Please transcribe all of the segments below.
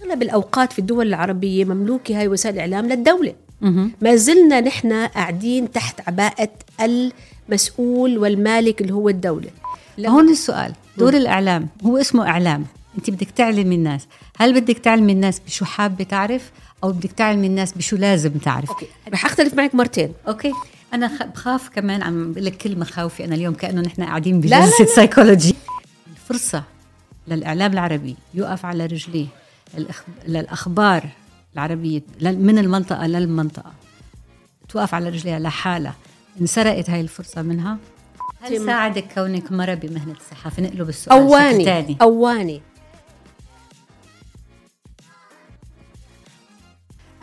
أغلب الأوقات في الدول العربية مملوكة هاي وسائل الإعلام للدولة. ما زلنا نحن قاعدين تحت عباءة المسؤول والمالك اللي هو الدولة. هون السؤال، دور الإعلام هو اسمه إعلام، أنت بدك تعلم الناس. هل بدك تعلم الناس بشو حابة تعرف أو بدك تعلم الناس بشو لازم تعرف؟ أوكي. رح أختلف معك مرتين. أوكي. أنا بخاف كمان، عم بقول لك كل مخاوفي أنا اليوم كأنه نحن قاعدين بجلسة سايكولوجي. الفرصة للإعلام العربي يقف على رجليه للأخبار العربية من المنطقة للمنطقة توقف على رجليها لحالها، انسرقت هاي الفرصة منها. هل ساعدك كونك مرة بمهنة الصحافة؟ نقلب السؤال تاني. أواني.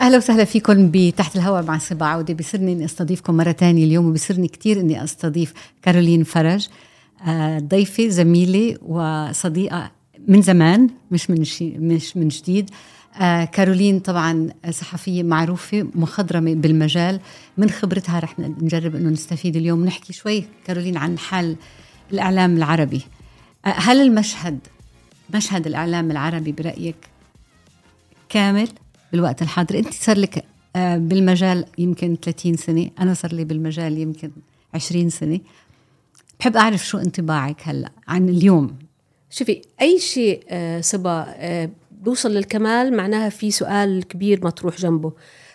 أهلا وسهلا فيكم بتحت الهواء مع صبا عودة. بيصيرني إني أستضيفكم مرة تانية اليوم، وبيصيرني كتير إني أستضيف كارولين فرج، ضيفة زميلة وصديقة من زمان، مش من جديد. كارولين طبعا صحفية معروفة مخضرمة بالمجال. من خبرتها رح نجرب إنه نستفيد اليوم. نحكي شوي كارولين عن حال الإعلام العربي. هل مشهد الإعلام العربي برأيك كامل بالوقت الحاضر؟ أنت صار لك بالمجال يمكن 30 سنة، أنا صار لي بالمجال يمكن 20 سنة. بحب أعرف شو انطباعك هلأ عن اليوم. شوفي، أي شيء صبا بيوصل للكمال معناها في سؤال كبير مطروح جنبه،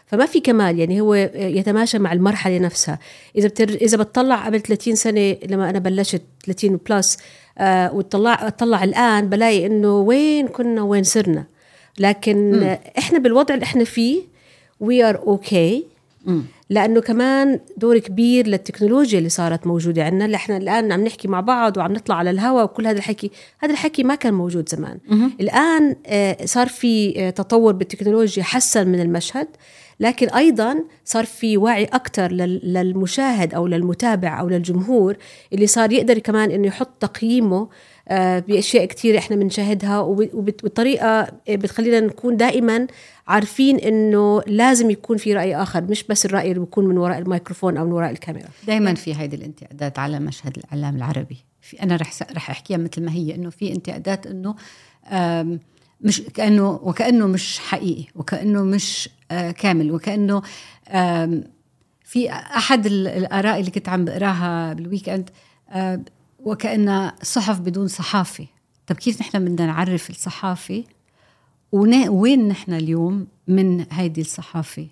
فما في كمال. يعني هو يتماشى مع المرحلة نفسها. إذا بتطلع قبل 30 سنة لما أنا بلشت 30 بلس وتطلع الآن بلاقي إنه وين كنا وين صرنا. لكن إحنا بالوضع اللي إحنا فيه we are okay. لأنه كمان دور كبير للتكنولوجيا اللي صارت موجودة عندنا، اللي إحنا الآن عم نحكي مع بعض وعم نطلع على الهواء وكل هذا الحكي ما كان موجود زمان. الآن صار في تطور بالتكنولوجيا حسن من المشهد، لكن أيضا صار في وعي أكتر للمشاهد أو للمتابع أو للجمهور، اللي صار يقدر كمان إنه يحط تقييمه بأشياء كتير إحنا بنشاهدها، وبالطريقة بتخلينا نكون دائما عارفين إنه لازم يكون في رأي آخر، مش بس الرأي اللي بيكون من وراء الميكروفون أو من وراء الكاميرا. دائما في هيدي الانتقادات على مشهد الإعلام العربي. أنا رح أحكيها مثل ما هي، إنه في انتقادات إنه مش وكأنه مش حقيقي، وكأنه مش كامل، وكأنه في أحد الآراء اللي كنت عم بقراها بالويكند وكأنها صحف بدون صحافة. طب كيف نحن بدنا نعرف الصحافة وين نحن اليوم من هيدي الصحافة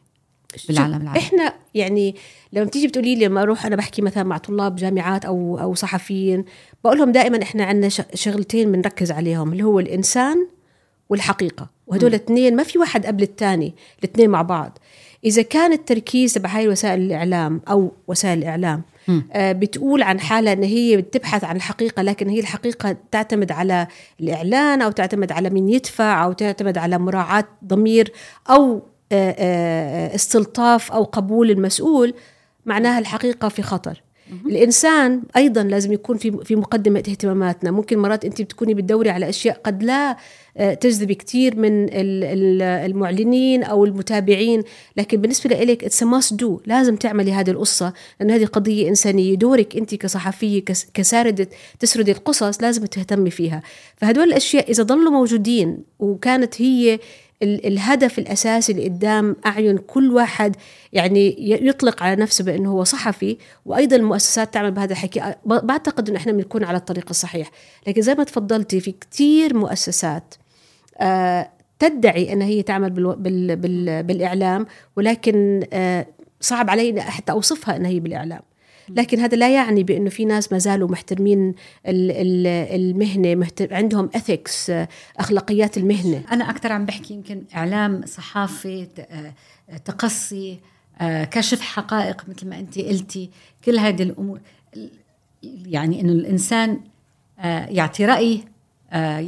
بالعالم العربي؟ إحنا يعني لما بتيجي بتقولي لي، لما أروح أنا بحكي مثلا مع طلاب جامعات أو صحفيين، بقولهم دائما إحنا عندنا شغلتين بنركز عليهم، اللي هو الإنسان والحقيقة. وهدول الاثنين ما في واحد قبل الثاني، الاثنين مع بعض. إذا كان التركيز تبع هاي وسائل الإعلام أو وسائل الإعلام بتقول عن حالة أن هي بتبحث عن الحقيقة، لكن هي الحقيقة تعتمد على الإعلان أو تعتمد على مين يدفع أو تعتمد على مراعاة ضمير أو استلطاف أو قبول المسؤول، معناها الحقيقة في خطر. الإنسان أيضا لازم يكون في مقدمة اهتماماتنا. ممكن مرات أنت بتكوني بتدوري على أشياء قد لا تجذب كتير من المعلنين أو المتابعين، لكن بالنسبة لإلك it's a must do، لازم تعملي هذه القصة، لأن هذه قضية إنسانية. دورك أنت كصحفية كساردة تسردي القصص لازم تهتمي فيها. فهدول الأشياء إذا ضلوا موجودين وكانت هي الهدف الأساسي اللي قدام أعين كل واحد يعني يطلق على نفسه بأنه هو صحفي، وأيضا المؤسسات تعمل بهذا الحكي، بعتقد أن إحنا بنكون على الطريق الصحيح. لكن زي ما تفضلتي، في كتير مؤسسات تدعي أن هي تعمل بالإعلام، ولكن صعب علي حتى أوصفها أن هي بالإعلام. لكن هذا لا يعني بأنه في ناس ما زالوا محترمين المهنة، عندهم ethics، أخلاقيات المهنة. أنا أكتر عم بحكي يمكن إعلام، صحافة، تقصي، كشف حقائق مثل ما أنت قلتي، كل هذه الأمور. يعني إنه الإنسان يعطي رأي،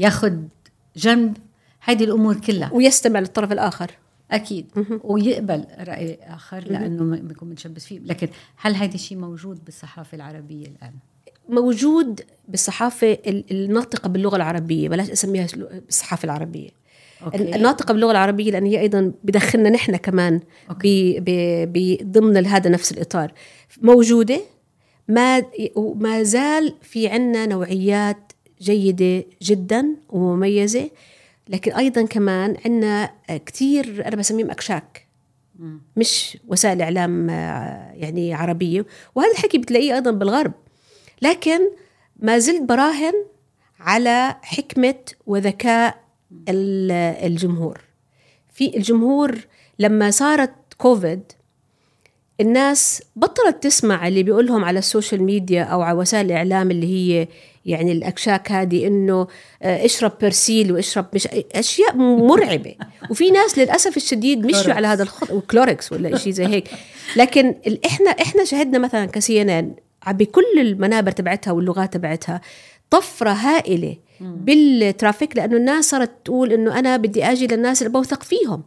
ياخد جنب، هذه الأمور كلها، ويستمع للطرف الآخر أكيد، ويقبل رأي آخر لأنه بيكون متشبث فيه. لكن هل هذا الشيء موجود بالصحافة العربية الآن؟ موجود بالصحافة الناطقة باللغة العربية، بلاش أسميها بالصحافة العربية. الناطقة باللغة العربية، لأن هي أيضا بدخلنا نحن كمان ضمن هذا نفس الإطار. موجودة، ما زال في عنا نوعيات جيدة جدا ومميزة، لكن أيضا كمان عنا كتير أنا بسميهم أكشاك، مش وسائل إعلام يعني عربية، وهذا الحكي بتلاقيه أيضا بالغرب. لكن ما زلت براهن على حكمة وذكاء الجمهور. في الجمهور لما صارت كوفيد الناس بطلت تسمع اللي بيقولهم على السوشيال ميديا أو على وسائل الإعلام اللي هي يعني الأكشاك هذه، إنه اشرب برسيل واشرب مش أشياء مرعبة. وفي ناس للأسف الشديد مشوا على هذا الخط، وكلوركس ولا إشي زي هيك. لكن إحنا شهدنا مثلا كسينان بكل المنابر تبعتها واللغات تبعتها طفرة هائلة بالترافيك، لأنه الناس صارت تقول إنه أنا بدي أجي للناس اللي بوثق فيهم.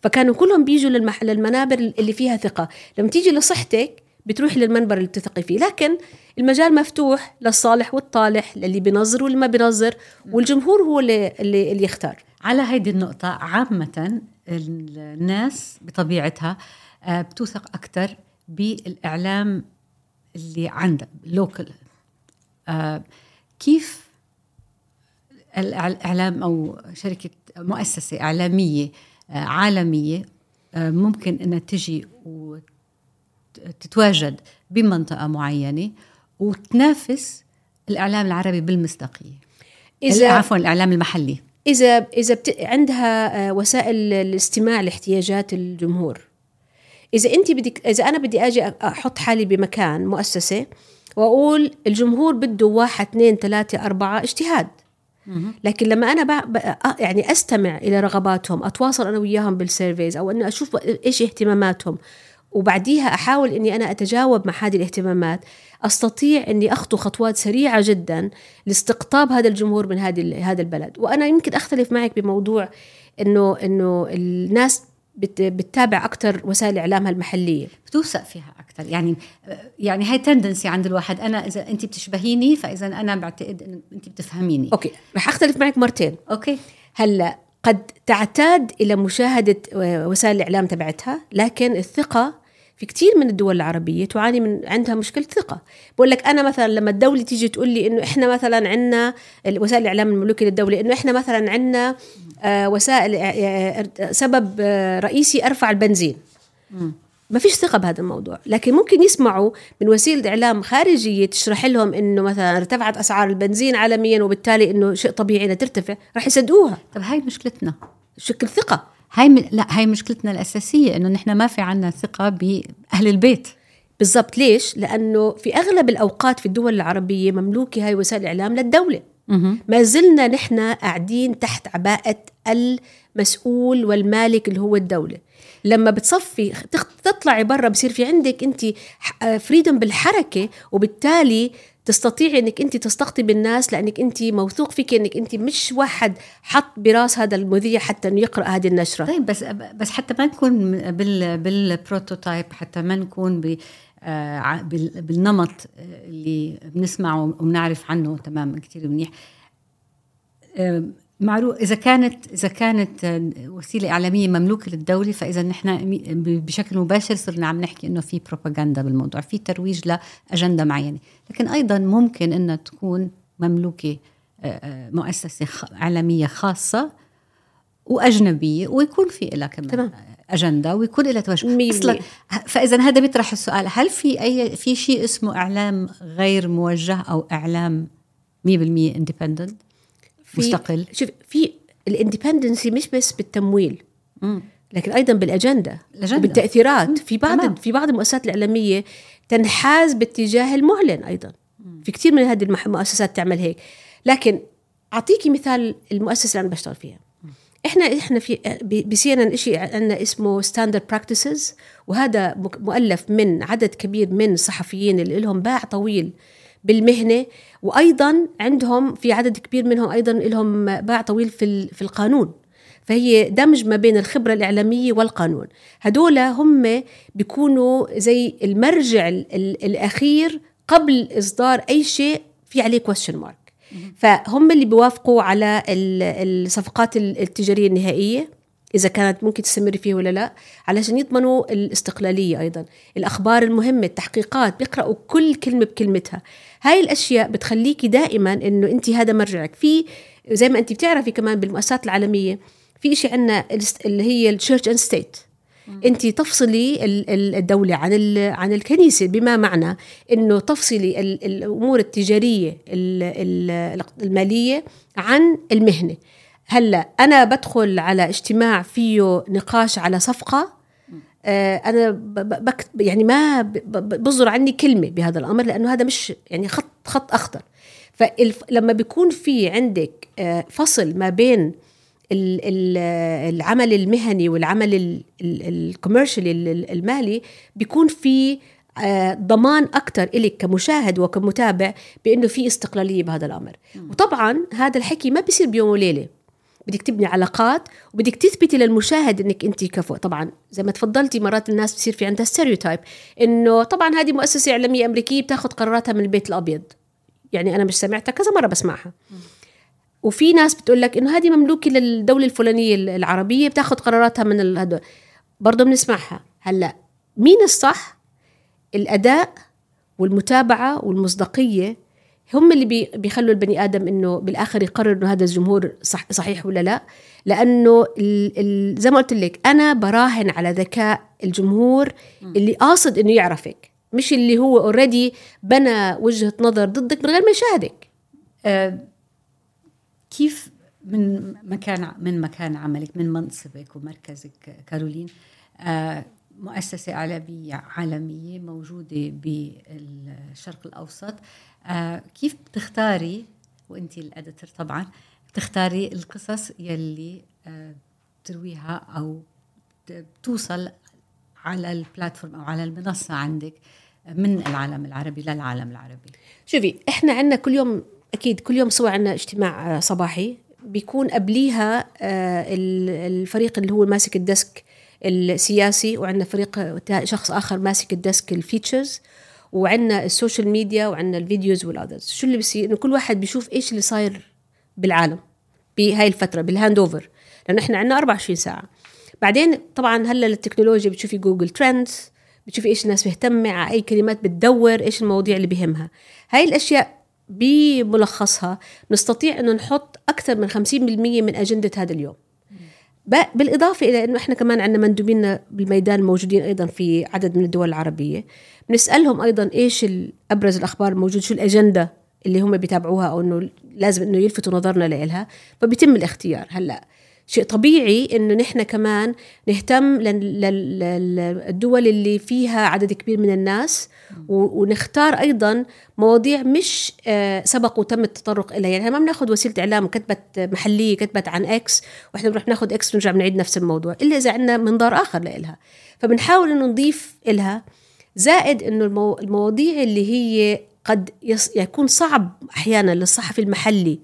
فكانوا كلهم بيجوا للمنابر اللي فيها ثقة. لما تيجي لصحتك بتروح للمنبر اللي تثقي فيه، لكن المجال مفتوح للصالح والطالح، للي بينظر واللي ما بينظر، والجمهور هو اللي يختار. على هيدي النقطة عامة الناس بطبيعتها بتوثق أكتر بالإعلام اللي عنده لوكال. كيف الإعلام أو شركة مؤسسة إعلامية عالمية ممكن أنها تجي وتتواجد بمنطقة معينة وتنافس الإعلام العربي بالمصداقية، عفوا الإعلام المحلي؟ إذا عندها وسائل الاستماع لاحتياجات الجمهور. إذا أنا بدي أجي أحط حالي بمكان مؤسسة وأقول الجمهور بده 1 2 3 4 اجتهاد، لكن لما أنا يعني أستمع إلى رغباتهم، أتواصل أنا وياهم بالسيرفيز، أو أن أشوف إيش اهتماماتهم، وبعديها أحاول أني أنا أتجاوب مع هذه الاهتمامات، أستطيع أني أخطو خطوات سريعة جدا لاستقطاب هذا الجمهور من هذا البلد. وأنا يمكن أختلف معك بموضوع أنه الناس بتتابع أكتر وسائل إعلامها المحلية، بتوثق فيها أكتر. يعني هاي تندنسي عند الواحد. أنا إذا أنت بتشبهيني فإذا أنا بعتقد أن أنت بتفهميني. أوكي، رح أختلف معك مرتين. أوكي، هلأ قد تعتاد إلى مشاهدة وسائل الإعلام تبعتها، لكن الثقة في كتير من الدول العربية تعاني من عندها مشكلة ثقة. بقول لك أنا مثلا لما الدولة تيجي تقول لي إنه إحنا مثلا عنا وسائل الإعلام المملوكة للدولة، إنه إحنا مثلا عنا وسائل سبب رئيسي أرفع البنزين، ما فيش ثقة بهذا الموضوع. لكن ممكن يسمعوا من وسيلة إعلام خارجية تشرح لهم إنه مثلا ارتفعت أسعار البنزين عالميا وبالتالي إنه شيء طبيعي إنها ترتفع، رح يصدقوها. طب هاي مشكلتنا، شكل ثقة. هاي مشكلتنا الأساسية، إنه نحن ما في عنا ثقة بأهل البيت. بالضبط. ليش؟ لأنه في أغلب الأوقات في الدول العربية مملوكة هاي وسائل الإعلام للدولة. ما زلنا نحن قاعدين تحت عباءة المسؤول والمالك اللي هو الدولة. لما بتصفي تطلعي برا بصير في عندك أنت فريدم بالحركة، وبالتالي تستطيعي أنك أنت تستقطب الناس، لأنك أنت موثوق فيك أنك أنت مش واحد حط براس هذا المذيع حتى أنه يقرأ هذه النشرة. طيب بس حتى ما نكون بالبروتوتايب، حتى ما نكون بالنمط اللي بنسمعه وبنعرف عنه تماما كتير منيح. معروف إذا كانت وسيلة إعلامية مملوكة للدولة، فإذا نحن بشكل مباشر صرنا عم نحكي إنه في بروباغندا بالموضوع، في ترويج لأجندة معينة. لكن أيضا ممكن إنها تكون مملوكة مؤسسة إعلامية خاصة وأجنبية، ويكون في لها كمان أجندة ويكون لها توجه. فإذا هذا بيطرح السؤال، هل في شيء اسمه إعلام غير موجه أو إعلام 100% independent مستقل؟ شوف، في الاندبندنسي مش بس بالتمويل، لكن أيضا بالأجندة وبالتأثيرات. في بعض المؤسسات الإعلامية تنحاز باتجاه المعلن أيضا. في كتير من هذه المؤسسات تعمل هيك. لكن أعطيكي مثال المؤسسة اللي أنا بشتغل فيها. إحنا في بسينا إشي عندنا اسمه standard practices، وهذا مؤلف من عدد كبير من الصحفيين اللي لهم باع طويل بالمهنة، وأيضا عندهم في عدد كبير منهم أيضا لهم باع طويل في القانون. فهي دمج ما بين الخبرة الإعلامية والقانون. هدول هم بيكونوا زي المرجع الأخير قبل إصدار أي شيء في عليه question mark. فهم اللي بيوافقوا على الصفقات التجارية النهائية، إذا كانت ممكن تستمر فيه ولا لا، علشان يضمنوا الاستقلالية. أيضا الأخبار المهمة، التحقيقات، بيقرأوا كل كلمة بكلمتها. هاي الأشياء بتخليكي دائما إنه أنت هذا مرجعك. في زي ما أنت بتعرفي كمان بالمؤسسات العالمية في إشي عنا اللي هي الشيرش أند ستيت. أنت تفصلي الدولة عن الكنيسة، بما معنى إنه تفصلي الأمور التجارية المالية عن المهنة. هلا أنا بدخل على اجتماع فيه نقاش على صفقة، أنا يعني ما بصدر عني كلمة بهذا الأمر، لأنه هذا مش يعني خط أخضر. فلما بيكون في عندك فصل ما بين العمل المهني والعمل الكوميرشال المالي، بيكون في ضمان أكتر إليك كمشاهد وكمتابع بأنه في استقلالية بهذا الأمر. وطبعا هذا الحكي ما بيصير بيوم وليلة، بدك تبني علاقات وبدك تثبتي للمشاهد انك انت كفؤ. طبعا زي ما تفضلتي مرات الناس بتصير في عندها ستيريوتايب انه طبعا هذه مؤسسة إعلامية أمريكية بتاخذ قراراتها من البيت الأبيض. يعني أنا مش سمعتها كذا مرة بسمعها. وفي ناس بتقول لك إنه هذه مملوكة للدولة الفلانية العربية بتاخذ قراراتها من هذول، برضه بنسمعها. هلا مين الصح؟ الأداء والمتابعة والمصداقية هم اللي بيخلوا البني آدم إنه بالآخر يقرر إنه هذا الجمهور صحيح ولا لا. لأنه زي ما قلت لك أنا براهن على ذكاء الجمهور اللي قاصد إنه يعرفك، مش اللي هو أوريدي بنى وجهة نظر ضدك من غير ما يشاهدك. كيف من مكان عملك، من منصبك ومركزك كارولين، مؤسسة إعلامية عالمية موجودة بالشرق الأوسط، كيف بتختاري وانتي الأديتور طبعا بتختاري القصص يلي ترويها أو توصل على البلاتفورم أو على المنصة عندك من العالم العربي للعالم العربي؟ شوفي، احنا عندنا كل يوم أكيد كل يوم سوا عندنا اجتماع صباحي بيكون قبليها الفريق اللي هو ماسك الديسك السياسي، وعندنا فريق شخص آخر ماسك الديسك الفيتشرز، وعندنا السوشيال ميديا، وعندنا الفيديوز والأذرز. شو اللي بيصير؟ إنه كل واحد بيشوف إيش اللي صاير بالعالم بهاي الفترة بالهاند أوفر، لأنه إحنا عندنا 24 ساعة. بعدين طبعا هلا التكنولوجيا بتشوفي جوجل ترندز، بتشوفي إيش الناس مهتمة، على أي كلمات بتدور، إيش المواضيع اللي بيهمها. هاي الأشياء بملخصها نستطيع أنه نحط أكثر من 50% من أجندة هذا اليوم. بالإضافة إلى أنه إحنا كمان عندنا مندوبين بالميدان الموجودين أيضا في عدد من الدول العربية، بنسألهم أيضا إيش أبرز الأخبار الموجودة، شو الأجندة اللي هم بيتابعوها أو أنه لازم أنه يلفتوا نظرنا لإلها، فبيتم الاختيار. هلأ شيء طبيعي أنه نحن كمان نهتم للدول اللي فيها عدد كبير من الناس، ونختار أيضا مواضيع مش سبق وتم التطرق إليها. يعني ما بناخد وسيلة إعلام كتبت محلية كتبت عن إكس وإحنا بنروح ناخد إكس ونرجع بنعيد نفس الموضوع، إلا إذا عندنا منظار آخر لإلها، فبنحاول إنه نضيف إلها. زائد إنه المواضيع اللي هي قد يكون صعب أحيانا للصحفي المحلي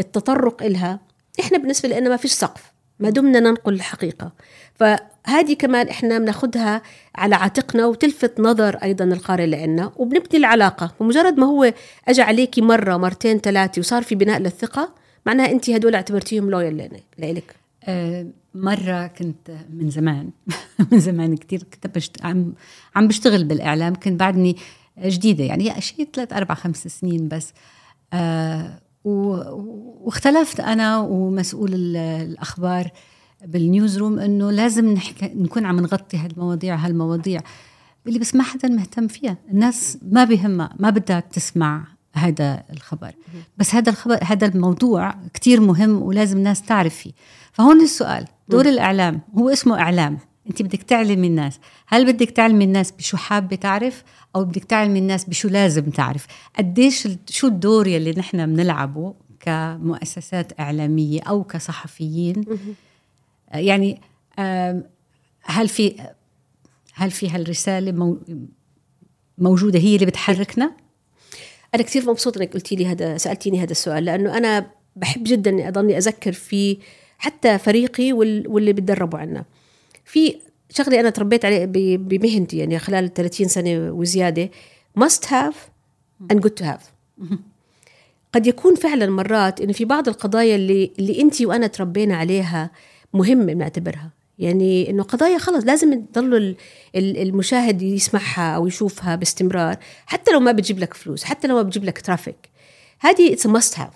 التطرق إلها، إحنا بالنسبة لنا ما فيش سقف ما دمنا ننقل الحقيقة. فهذه كمان إحنا بناخدها على عاتقنا وتلفت نظر أيضا القارئ لنا، وبنبني العلاقة. ومجرد ما هو أجى عليكي مرة مرتين ثلاثة وصار في بناء للثقة، معناها أنت هدول اعتبرتيهم لويال لإلك. مرة كنت من زمان من زمان كتير كنت عم بشتغل بالإعلام، كنت بعدني جديدة يعني شيء 3 4 5 سنين بس. واختلفت أنا ومسؤول الأخبار بالنيوز روم إنه لازم نكون عم نغطي هالمواضيع اللي بس ما حدا مهتم فيها. الناس ما بيهمها، ما بدها تسمع هذا الخبر، بس هذا الموضوع كتير مهم ولازم الناس تعرف فيه. فهون السؤال، دور الإعلام هو اسمه إعلام، أنت بدك تعلمي الناس. هل بدك تعلمي الناس بشو حابة تعرف، أو بدك تعلمي الناس بشو لازم تعرف؟ قديش شو الدور يلي نحن بنلعبه كمؤسسات إعلامية أو كصحفيين؟ يعني هل في هالرسالة موجودة هي اللي بتحركنا؟ أنا كثير مبسوطة إنك قلتي لي سألتيني هذا السؤال، لأنه أنا بحب جدا إني أضلني أذكر في حتى فريقي واللي بتدربوا عنا. في شغلي أنا تربيت عليه بمهنتي يعني خلال 30 سنة وزيادة، must have and good to have. قد يكون فعلا مرات إنه في بعض القضايا اللي أنتي وأنا تربينا عليها مهمة بنعتبرها، يعني إنه قضايا خلص لازم يضل المشاهد يسمعها أو يشوفها باستمرار، حتى لو ما بتجيب لك فلوس، حتى لو ما بتجيب لك ترافيك. هذه it's a must have.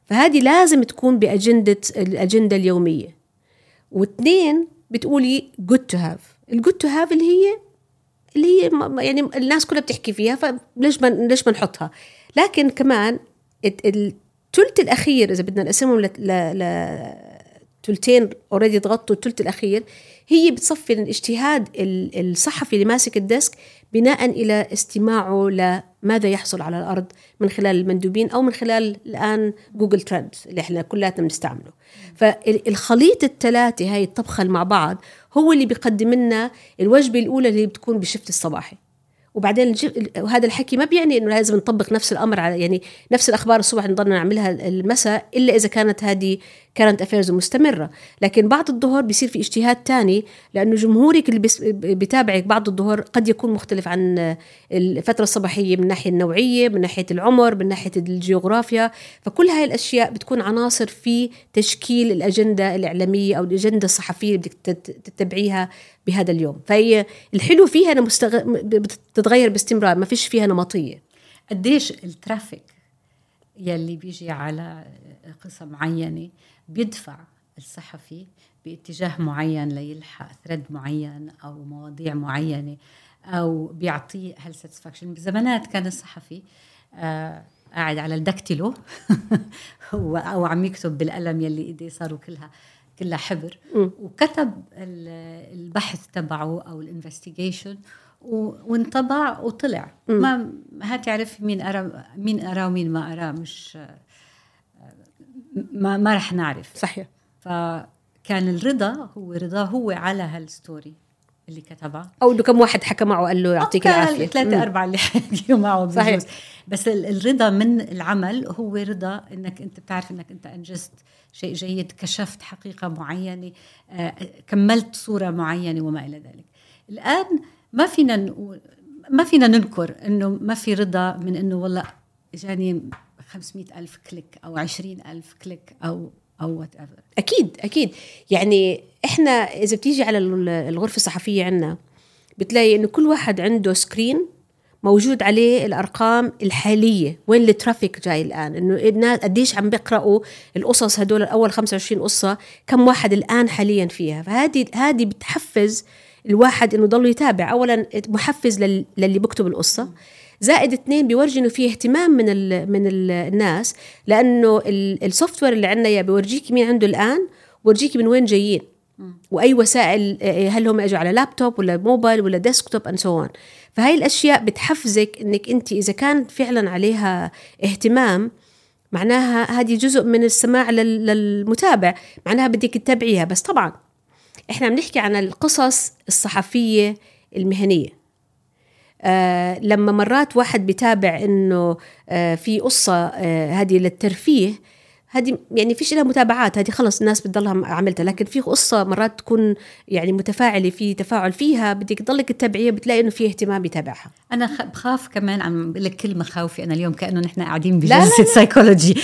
فهذه لازم تكون الأجندة اليومية. واثنين بتقولي good to have. الgood to have اللي هي يعني الناس كلها بتحكي فيها، فليش ما نحطها. لكن كمان الثلث الأخير إذا بدنا نقسمهم تلتين already تغطوا الثلث الأخير، هي بتصفي الاجتهاد الصحفي اللي ماسك الديسك بناء إلى استماعه لماذا يحصل على الأرض من خلال المندوبين أو من خلال الآن جوجل ترندز اللي احنا كلاتنا بنستعمله. فالخليط الثلاثة هاي الطبخة مع بعض هو اللي بيقدم لنا الوجبة الأولى اللي بتكون بالشفت الصباحي. وبعدين هذا الحكي ما بيعني إنه لازم نطبق نفس الأمر على يعني نفس الأخبار الصبح نضلنا نعملها المساء، إلا إذا كانت هذه current affairs مستمرة. لكن بعد الظهر بيصير في اجتهاد تاني، لأنه جمهورك اللي بيتابعك بعد الظهر قد يكون مختلف عن الفترة الصباحية من ناحية النوعية، من ناحية العمر، من ناحية الجغرافيا. فكل هاي الأشياء بتكون عناصر في تشكيل الأجندة الإعلامية أو الأجندة الصحفية اللي بدك تتبعيها بهذا اليوم. فهي الحلو فيها أنها بتتغير باستمرار، ما فيش فيها نمطية. قديش الترافيك يلي بيجي على قصة معينة بيدفع الصحفي باتجاه معين ليلحق ثريد معين أو مواضيع معينة، أو بيعطيه هالساتسفاكشن. بزمانات كان الصحفي قاعد على الدكتلو أو عم يكتب بالقلم يلي إيديه صاروا كلها حبر، وكتب البحث تبعه أو الانفستيجيشن وانطبع وطلع. ما هتعرف مين أرى ومين ما أرى، مش ما رح نعرف. صحيح. فكان الرضا هو على هالستوري اللي كتبها، أو إنه كم واحد حكى معه قال له يعطيك العافية، 3-4 اللي حكيوا معه. صحيح. بس الرضا من العمل هو رضا إنك أنت بتعرف إنك أنت أنجزت شيء جيد، كشفت حقيقة معينة، كملت صورة معينة وما إلى ذلك. الآن ما فينا ننكر إنه ما في رضا من إنه والله جاني 500,000 كليك أو 20,000 كليك أو whatever. أكيد. يعني إحنا إذا بتيجي على الغرفة الصحفية عنا بتلاقي إنه كل واحد عنده سكرين موجود عليه الأرقام الحالية، وين الترافيك جاي الآن، إنه الناس قديش عم بيقرأوا القصص هدول الأول 25 قصة، كم واحد الآن حاليا فيها. فهذه بتحفز الواحد إنه ضل يتابع. أولا محفز للي بكتب القصة، زائد 2 بيورجي إنه فيه اهتمام من الناس، لأنه السوفتوير اللي عندنا يا بيورجيك مين عنده الآن، ورجيك من وين جايين وأي وسائل، هل هم أجوا على لابتوب ولا موبايل ولا ديسكتوب and so on. فهاي الأشياء بتحفزك إنك أنت إذا كان فعلا عليها اهتمام، معناها هذه جزء من السماع للمتابع، معناها بدك تتابعيها. بس طبعا إحنا بنحكي عن القصص الصحفية المهنية. لما مرات واحد بيتابع إنه في قصة هذه للترفيه، هذه يعني فيش لها متابعات، هذه خلص الناس بتضلها عملتها. لكن في قصة مرات تكون يعني متفاعلة، في تفاعل فيها، بدك تضلك تتابعيها، بتلاقي إنه في اهتمام بيتابعها. أنا بخاف كمان، عم بقول لك كل مخاوفي أنا اليوم كأنه نحن قاعدين بجلسة سايكولوجي.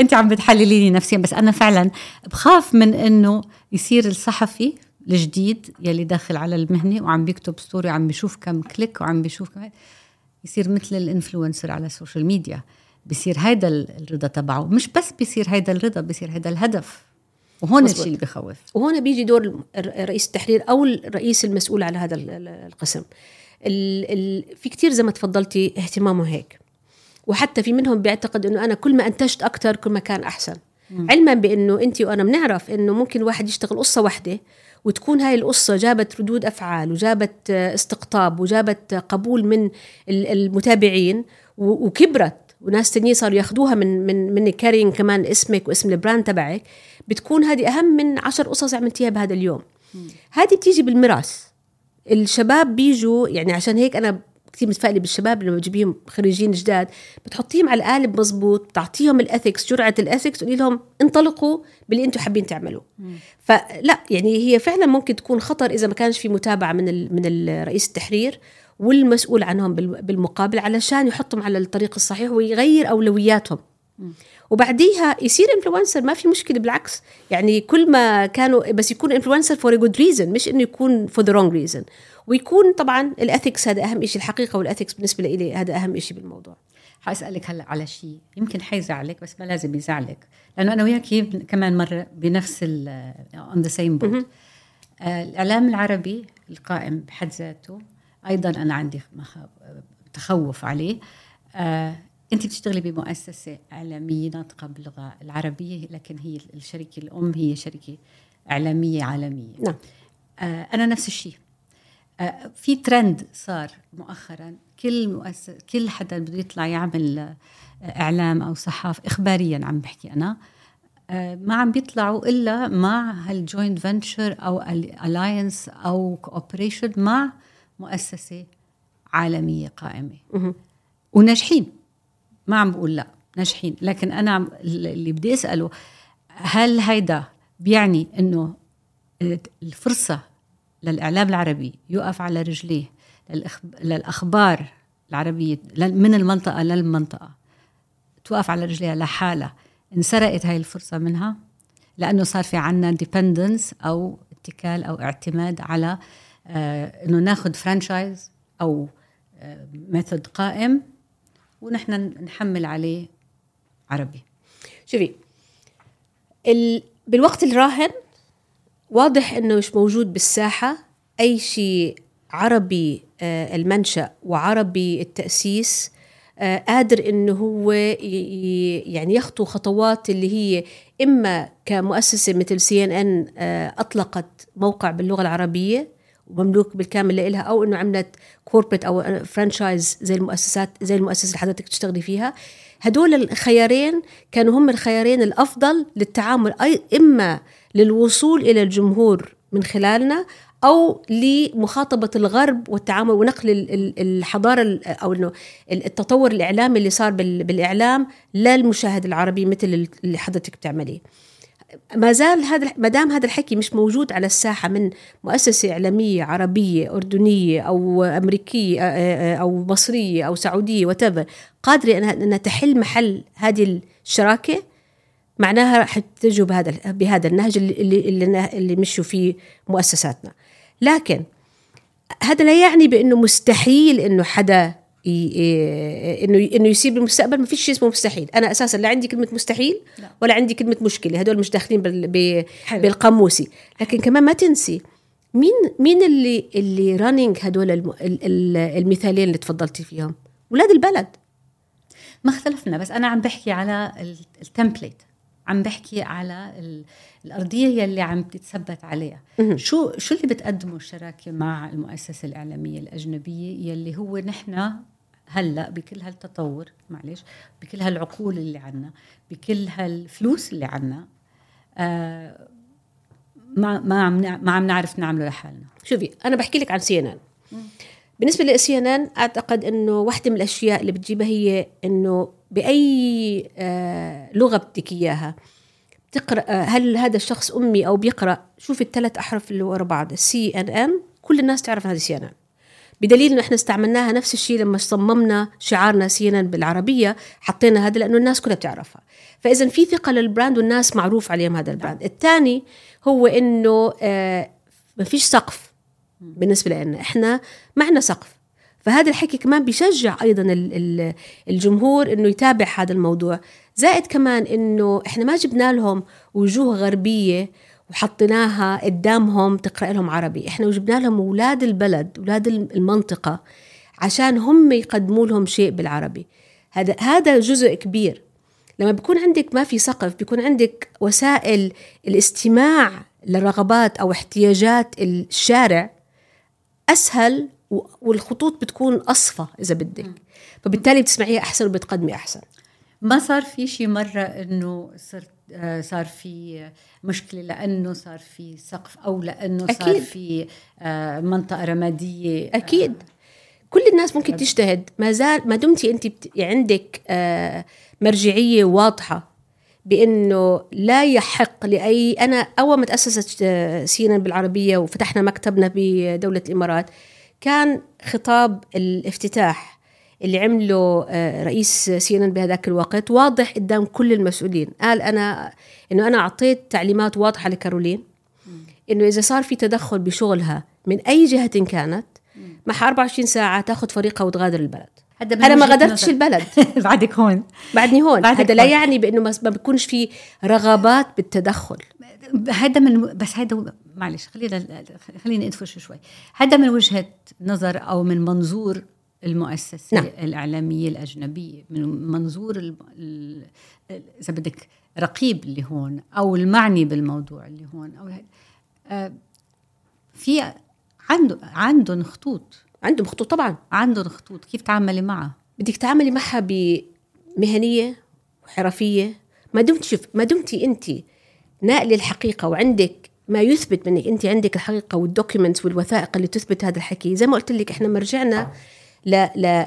أنت عم بتحلليني نفسيا، بس أنا فعلا بخاف من إنه يصير الصحفي الجديد يلي داخل على المهنة وعم بيكتب ستوري، عم بيشوف كم كليك وعم بيشوف كم، يصير مثل الانفلونسر على السوشيال ميديا. بيصير هيدا الرضا تبعه، مش بس بيصير هيدا الرضا، بيصير هيدا الهدف. وهون الشيء اللي بيخوف. وهون بيجي دور رئيس التحرير أو الرئيس المسؤول على هذا القسم. في كتير زي ما تفضلتي اهتمامه هيك، وحتى في منهم بيعتقد إنه أنا كل ما أنتجت أكتر كل ما كان أحسن. علما بأنه أنت وأنا بنعرف إنه ممكن واحد يشتغل قصة واحدة وتكون هاي القصة جابت ردود أفعال وجابت استقطاب وجابت قبول من المتابعين وكبرت، وناس تانيين صاروا ياخدوها من كارين كمان اسمك واسم البراند تبعك، بتكون هذه أهم من 10 قصص عملتيها بهذا اليوم. هذه بتيجي بالميراث. الشباب بيجوا، يعني عشان هيك أنا كثير متفائلة بالشباب لما بجيبهم خريجين جداد، بتحطيهم على القالب مظبوط، بتعطيهم الأثيكس، جرعة الأثيكس، وتقولي لهم انطلقوا باللي أنتوا حابين تعملوه. فلا يعني هي فعلا ممكن تكون خطر إذا ما كانش في متابعة من الرئيس التحرير والمسؤول عنهم بالمقابل، علشان يحطهم على الطريق الصحيح ويغير أولوياتهم. وبعديها يصير انفلونسر، ما في مشكلة، بالعكس يعني كل ما كانوا بس يكون انفلونسر for a good reason، مش إنه يكون for the wrong reason. ويكون طبعا الأثيكس هذا أهم إشي، الحقيقة والأثيكس بالنسبة لي هذا أهم إشي بالموضوع. حأسألك هلأ على شيء يمكن حيزعلك بس ما لازم يزعلك، لأنه أنا وياكي كمان مرة بنفس on the same boat. الإعلام العربي القائم بحد ذاته أيضا أنا عندي تخوف عليه. أنت بتشتغلي بمؤسسة إعلامية ناطقة باللغة العربية، لكن هي الشركة الأم هي شركة إعلامية عالمية. نعم. أنا نفس الشيء. في ترند صار مؤخرا، كل حدا بده يطلع يعمل إعلام أو صحافة إخباريا، عم بحكي أنا، ما عم بيطلعوا إلا مع هالجوينت فنتشر أو الألاينس أو كوبريشن مع مؤسسة عالمية قائمة وناجحين. ما عم بقول لا ناجحين، لكن أنا اللي بدي أسأله، هل هيدا بيعني إنه الفرصة للإعلام العربي يقف على رجليه للأخبار العربية من المنطقة للمنطقة توقف على رجليها لحالها، انسرقت هاي الفرصة منها لأنه صار في عنا dependence أو اتكال أو اعتماد على إنه ناخد فرانشايز أو ميثود قائم ونحن نحمل عليه عربي؟ شوفي، بالوقت الراهن واضح إنه مش موجود بالساحة أي شيء عربي المنشأ وعربي التأسيس قادر إنه هو يعني يخطو خطوات اللي هي إما كمؤسسة مثل CNN أطلقت موقع باللغة العربية ومملوك بالكامل لإلها، أو إنه عملت كوربريت أو فرانشايز زي المؤسسة اللي حضرتك تشتغلي فيها. هدول الخيارين كانوا هم الخيارين الأفضل للتعامل، إما للوصول إلى الجمهور من خلالنا أو لمخاطبة الغرب والتعامل ونقل الحضارة أو إنه التطور الإعلامي اللي صار بالإعلام للمشاهد العربي مثل اللي حضرتك بتعمليه. ما دام هذا الحكي مش موجود على الساحة من مؤسسة إعلامية عربية أردنية أو أمريكية أو مصرية أو سعودية whatever قادرة أنها تحل محل هذه الشراكة، معناها رح تجوا بهذا النهج اللي مشوا فيه مؤسساتنا. لكن هذا لا يعني بأنه مستحيل إنه حدا إنه يصيب المستقبل. ما فيش شيء اسمه مستحيل. أنا أساسا لا عندي كلمة مستحيل ولا عندي كلمة مشكلة، هدول مش داخلين بالقاموسي. لكن كمان ما تنسي مين اللي رانينج هدول المثالين اللي تفضلتي فيهم؟ ولاد البلد. ما اختلفنا، بس أنا عم بحكي على التمبليت، عم بحكي على الأرضية يلي عم تتثبت عليها. شو اللي بتقدمه الشراكة مع المؤسسة الإعلامية الأجنبية يلي هو نحن هلأ بكل هالتطور، معلش، بكل هالعقول اللي عنا، بكل هالفلوس اللي عنا، ما عم نعرف نعمله لحالنا. شوفي، أنا بحكي لك عن CNN. بالنسبة لCNN أعتقد أنه واحدة من الأشياء اللي بتجيبها هي أنه بأي لغة بدك إياها تقرأ، هل هذا الشخص أمي أو بيقرأ، شوف الثلاث أحرف اللي ورا بعض CNN، كل الناس تعرف هذا CNN. بدليل أنه إحنا استعملناها نفس الشيء لما صممنا شعارنا CNN بالعربية، حطينا هذا لأنه الناس كلها بتعرفها. فإذا في ثقة للبراند والناس معروف عليهم هذا البراند. الثاني هو أنه ما فيش سقف بالنسبة لنا، إحنا معنا سقف. فهذا الحكي كمان بيشجع أيضا الجمهور إنه يتابع هذا الموضوع. زائد كمان إنه إحنا ما جبنا لهم وجوه غربية وحطيناها قدامهم تقرأ لهم عربي، إحنا وجبنا لهم أولاد البلد، أولاد المنطقة، عشان هم يقدموا لهم شيء بالعربي. هذا جزء كبير. لما بيكون عندك ما في سقف، بيكون عندك وسائل الاستماع للرغبات أو احتياجات الشارع أسهل، والخطوط بتكون أصفى إذا بدك، فبالتالي بتسمعيها أحسن وبتقدمي أحسن. ما صار في شي مرة إنه صار في مشكلة لأنه صار في سقف أو لأنه أكيد. صار في منطقة رمادية؟ أكيد. كل الناس ممكن تجتهد، ما دمتي أنت عندك مرجعية واضحة بأنه لا يحق لأي. أنا أول ما تأسست CNN بالعربية وفتحنا مكتبنا بدولة الإمارات، كان خطاب الافتتاح اللي عمله رئيس CNN بهذاك الوقت واضح قدام كل المسؤولين. قال إنه أنا أعطيت تعليمات واضحة لكارولين إنه إذا صار في تدخل بشغلها من أي جهة كانت مع 24 ساعة تأخذ فريقها وتغادر البلد. أنا ما غادرتش البلد. بعدك هون. بعدني هون. هذا لا يعني بأنه ما بيكونش في رغبات بالتدخل. هذا بس هذا معلش خليني أدفش شوي. هذا من وجهة نظر أو من منظور المؤسسة الإعلامية الأجنبية، من منظور إذا بدك رقيب اللي هون أو المعني بالموضوع اللي هون أو في عندهم خطوط. عندهم خطوط طبعا. عندهم خطوط كيف تعاملي معها. بدك تعاملي معها بمهنية وحرفية. ما دمتي أنت ناقل الحقيقة وعندك ما يثبت منك أنت عندك الحقيقة والدوكيومنتس والوثائق اللي تثبت هذا الحكي. زي ما قلت لك إحنا مرجعنا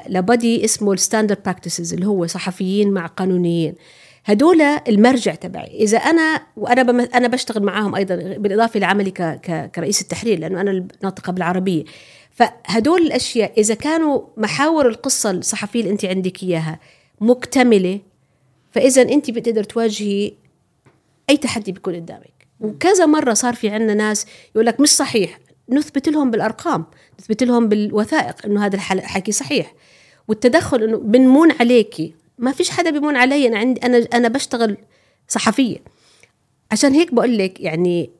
لبدي اسمه الستاندرد براكتسز اللي هو صحفيين مع قانونيين. هدول المرجع تبعي. إذا أنا بشتغل معاهم أيضا بالإضافة لعملي كرئيس التحرير لأنه أنا ناطقة بالعربية. فهدول الأشياء إذا كانوا محاور القصة الصحفية اللي أنت عندك إياها مكتملة فإذا أنت بتقدر تواجهي أي تحدي بيكون قدامك. وكذا مرة صار في عنا ناس يقولك مش صحيح، نثبت لهم بالأرقام، نثبت لهم بالوثائق إنه هذا الحكي صحيح. والتدخل إنه بنمون عليكي، ما فيش حدا بيمون علي. أنا بشتغل صحفية. عشان هيك بقول لك يعني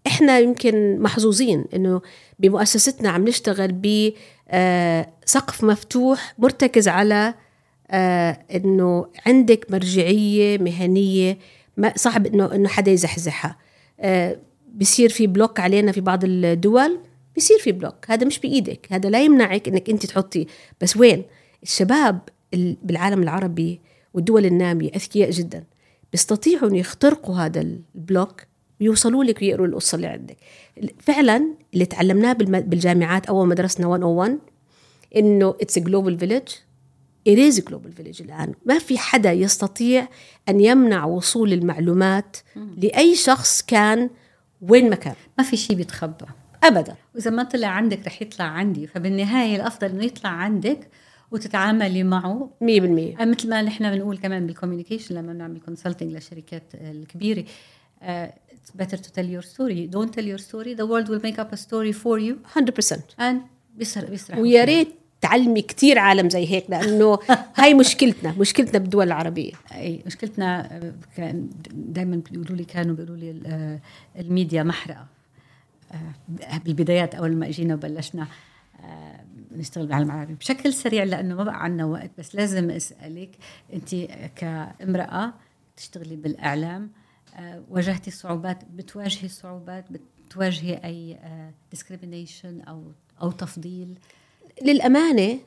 إحنا يمكن محظوظين إنه بمؤسستنا عم نشتغل بسقف مفتوح مرتكز على إنه عندك مرجعية مهنية ما صعب إنه حدا يزحزحها. بيصير في بلوك علينا في بعض الدول، بيصير في بلوك، هذا مش بإيدك، هذا لا يمنعك إنك أنت تحطي. بس وين الشباب بالعالم العربي والدول النامية أذكياء جدا، بيستطيعوا أن يخترقوا هذا البلوك ويوصلوا لك ويقروا القصة اللي عندك. فعلا اللي تعلمناه بالجامعات أول ما درسنا 101 إنه it's a global village. it is a global village. الآن ما في حدا يستطيع أن يمنع وصول المعلومات لأي شخص كان وين ما كان. ما في شيء بيتخبى أبدا. وإذا ما طلع عندك رح يطلع عندي. فبالنهاية الأفضل إنه يطلع عندك وتتعاملي معه 100%. مثل ما نحن بنقول كمان بالكوميونيكيشن لما بنعمل كونسلتنج للشركات الكبيرة. It's better to tell your story. Don't tell your story. The world will make up a story for you 100%. And بيسرح. ويا ريت تعلمي كتير عالم زي هيك لأنه هاي مشكلتنا بالدول العربية. أي مشكلتنا. دايما كانوا بيقولوا لي الميديا محرقة. بالبدايات أول ما أجينا وبلشنا نشتغل بالعالم العربي بشكل سريع لأنه ما بقى عنا وقت. بس لازم أسألك أنت كامرأة تشتغلي بالإعلام واجهتي صعوبات، بتواجهي صعوبات، بتواجهي أي discrimination أو تفضيل؟ للأمانة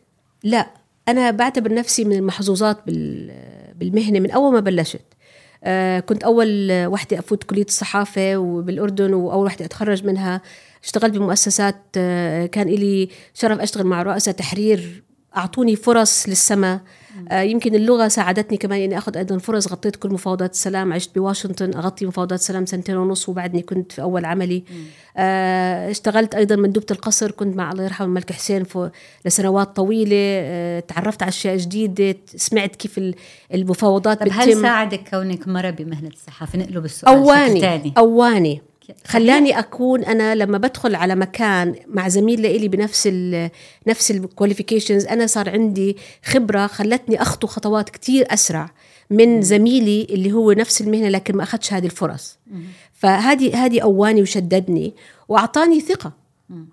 لا، أنا بعتبر نفسي من المحظوظات بالمهنة من أول ما بلشت. كنت أول واحدة أفوت كلية الصحافة وبالأردن وأول واحدة أتخرج منها. اشتغلت بمؤسسات، كان إلي شرف أشتغل مع رؤساء تحرير أعطوني فرص للسماء. يمكن اللغة ساعدتني كمان إني أخذ أيضا فرص. غطيت كل مفاوضات السلام، عشت بواشنطن أغطي مفاوضات السلام 2.5 وبعدني كنت في أول عملي. اشتغلت أيضا مندوبة القصر، كنت مع الله يرحمه الملك حسين لسنوات طويلة. تعرفت على أشياء جديدة، سمعت كيف المفاوضات بتتم. هل ساعدك كونك مرة بمهنة الصحافة؟ نقلب السؤال أواني خلاني أكون أنا لما بدخل على مكان مع زميل لإلي نفس الكواليفيكيشنز، أنا صار عندي خبرة خلتني أخطو خطوات كتير أسرع من زميلي اللي هو نفس المهنة لكن ما أخدش هذه الفرص. فهذه أواني وشددني وأعطاني ثقة.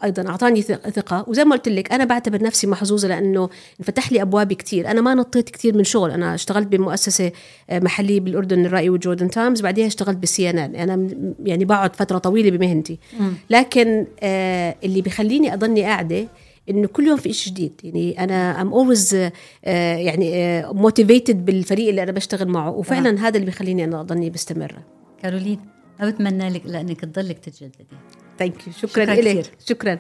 أيضا أعطاني ثقة. وزي ما قلت لك أنا بعتبر نفسي محظوظة لأنه انفتح لي أبواب كتير. أنا ما نطيت كتير من شغل. أنا اشتغلت بمؤسسة محلية بالأردن، الرأي وجوردن تايمز، بعدها اشتغلت بالCNN. أنا يعني بقعد فترة طويلة بمهنتي، لكن اللي بيخليني أضلني قاعدة إنه كل يوم في إشي جديد. يعني أنا I'm always يعني motivated بالفريق اللي أنا بشتغل معه، وفعلا هذا اللي بيخليني أنا أضلني بستمر. كارولين، أتمنى لك لأنك تضلك تتجددي. شكرا لك. شكرا.